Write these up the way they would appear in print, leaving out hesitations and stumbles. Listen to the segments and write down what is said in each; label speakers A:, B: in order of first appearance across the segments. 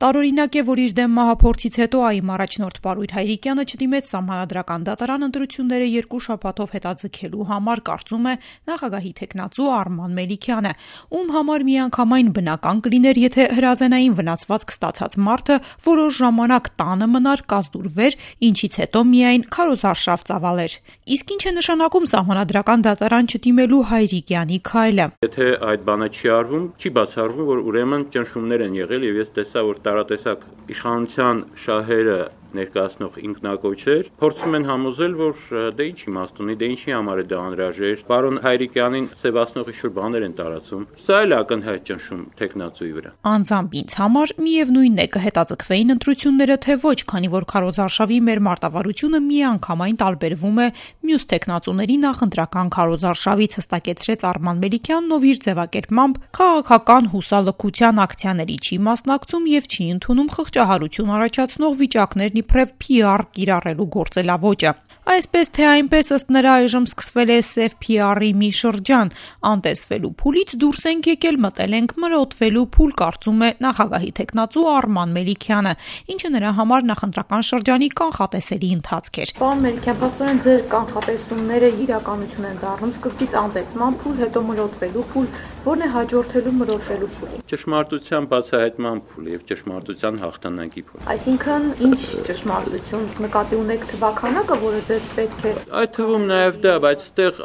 A: Տարօրինակ է, որ իր դեմ մահափորձից հետո ԱԻ առաջնորդ Պարույր Հայրիկյանը չդիմեց Սահմանադրական դատարան ընտրությունները 2 շաբաթով հետաձգելու համար, կարծում է նախագահի թեկնածու Արման Մելիքյանը, ում համար միանգամայն բնական կլիներ, եթե հրազենային վնասվածք ստացած մարդը որոշ ժամանակ տանը մնար, կազդուրվեր, ինչից հետո միայն քարոզարշավ ծավալեր։ Իսկ ինչ է նշանակում Սահմանադրական դատարան չդիմելու Հայրիկյանի քայլը։
B: Եթե այդ բանը չի արվում, չի բացառվում, որ ուրեմն ճնշումներ են եղել եւ ես տեսա, որ տարատեսակ իշխանության շահերը ներկայացնող ինքնակոչեր փորձում են համոզել, որ դե ինչ իմաստ ունի, դե ինչի համար է դա անհրաժեշտ, պարոն Հայրիկյանին սևացնող ինչ-որ բաներ են տարածում։ Սա էլ ակնհայտ ճնշում թեկնածուի վրա։
A: Անձամբ ինձ համար միևնույնն է կհետաձգվեին ընտրությունները, թե ոչ, քանի որ քարոզարշավի մեր մարտավարությունը միանգամայն տարբերվում է մյուս թեկնածուների նախընտրական քարոզարշավից, հստակեցրեց Արման Մելիքյանն, ով իր ձևակերպմամբ քաղաքական հուսալքության ակցիաների չի մասնակցում եւ չի ընդունում խղճահարություն առաջացնող վիճակներն իբրև PR կիրառելու գործելավոճը։ Այսպես թե այնպես, ըստ նրա, այժմ սկսվել է սև PR-ի մի շրջան։ Անտեսվելու փուլից դուրս ենք եկել, մտել ենք մրոտվելու փուլ, կարծում է նախագահի թեկնածու Արման Մելիքյանը, ինչը նրա համար նախընտրական շրջանի կանխատեսելի ընթացք էր։
C: Պարոն Մելիքյան, փաստորեն ձեր կանխատեսումները իրականություն են դառնում, սկզբից անտեսման փուլ, հետո մրոտվելու փուլ, որն է հաջորդելու մրոտվելու փուլին։
B: Ճշմարտության բացահայտման փուլ եւ ճշմարտության հաղթանակի փուլ։
C: Այսինքն, ինչ ճշմարտություն նկատի ունեք թվականակը, որը ձեզ պետք է։
B: Այդ թվում նաեւ դա, բայց այդտեղ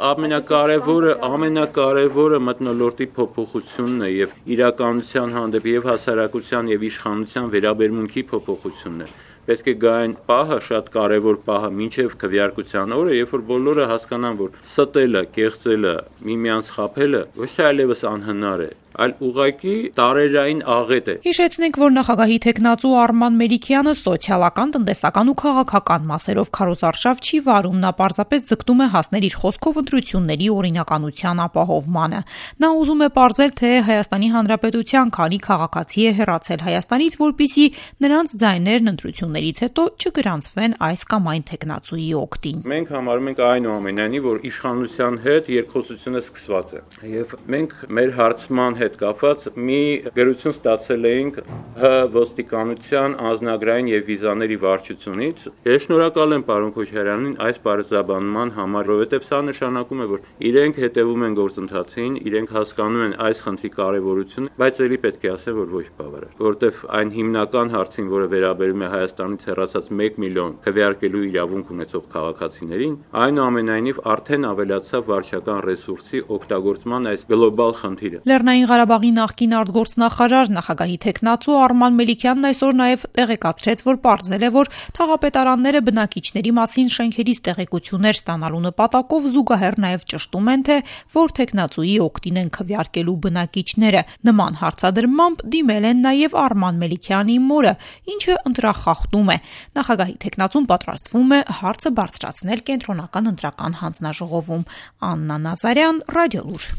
B: ամենակարևորը մթնոլորտի փոփոխությունն է եւ իրականության հանդեպ եւ հասարակության եւ իշխանության վերաբերմունքի փոփոխությունն է։ Պետք է գա այն պահը, շատ կարևոր պահը, մինչև քվեարկության օրը, երբ որ բոլորը հասկանան, որ ստելը, կեղծելը, միմյանց խաբելը ոչ այլևս անհնար է, այլ ուղղակի տարերային աղետ է։
A: Հիշեցնենք, որ նախագահի թեկնածու Արման Մելիքյանը սոցիալական, տնտեսական ու քաղաքական մասերով քարոզարշավ չի վարում, նա պարզապես ձգտում է հասնել իր խոսքով ընտրությունների օրինականության ապահովմանը։ Նա ուզում է պարզել, թե Հայաստանի Հանրապետության քանի քաղաքացի է հեռացել Հայաստանից, որպեսզի նրանց ձայներն ընտրություններից հետո չգրանցվեն այս կամ այն թեկնածուի օգտին։
B: Մենք համարում ենք այնուամենայնիվ, որ իշխանության հետ երկխոսությունը սկսված է։ Եվ մենք մեր հարցման հետ կապված մի գրություն ստացել էինք ոստիկանության անձնագրային եւ վիզաների վարչությունից։ Ես շնորհակալ եմ պարոն Քոչարյանին այս բարձրաբանման համար, որովհետեւ սա նշանակում է, որ իրենք հետևում են գործընթացին, իրենք հասկանում են այս խնդրի կարեւորությունը, բայց ելի պետք է ասեմ, որ ոչ բավարար, որովհետեւ այն հիմնական հարցին, որը վերաբերում է Հայաստանից հեռացած 1 միլիոն քվեարկելու իրավունք ունեցող քաղաքացիներին, այնուամենայնիվ արդեն ավելացավ վարչական ռեսուրսի օգտագործման այս գլոբալ խնդիրը։
A: Լեռնային Ղարաբաղի նախկին արտգործնախարար նախագահի թեկնածու Արման Մելիքյանն այսօր նաև տեղեկացրեց, որ պարզել է, որ թաղապետարանները բնակիչների մասին շենքերից տեղեկություններ ստանալու նպատակով զուգահեռ նաև ճշտում են, թե որ թեկնածուի օգտին են քվեարկելու բնակիչները։ Նման հարցադրմամբ դիմել են նաև Արման Մելիքյանի մորը, ինչը ընտրախախտում է։ Նախագահի թեկնածուն պատրաստվում է հարցը բարձրացնել կենտրոնական ընտրական հանձնաժողովում։ Աննա Նազարյան, Ռադիոլուր։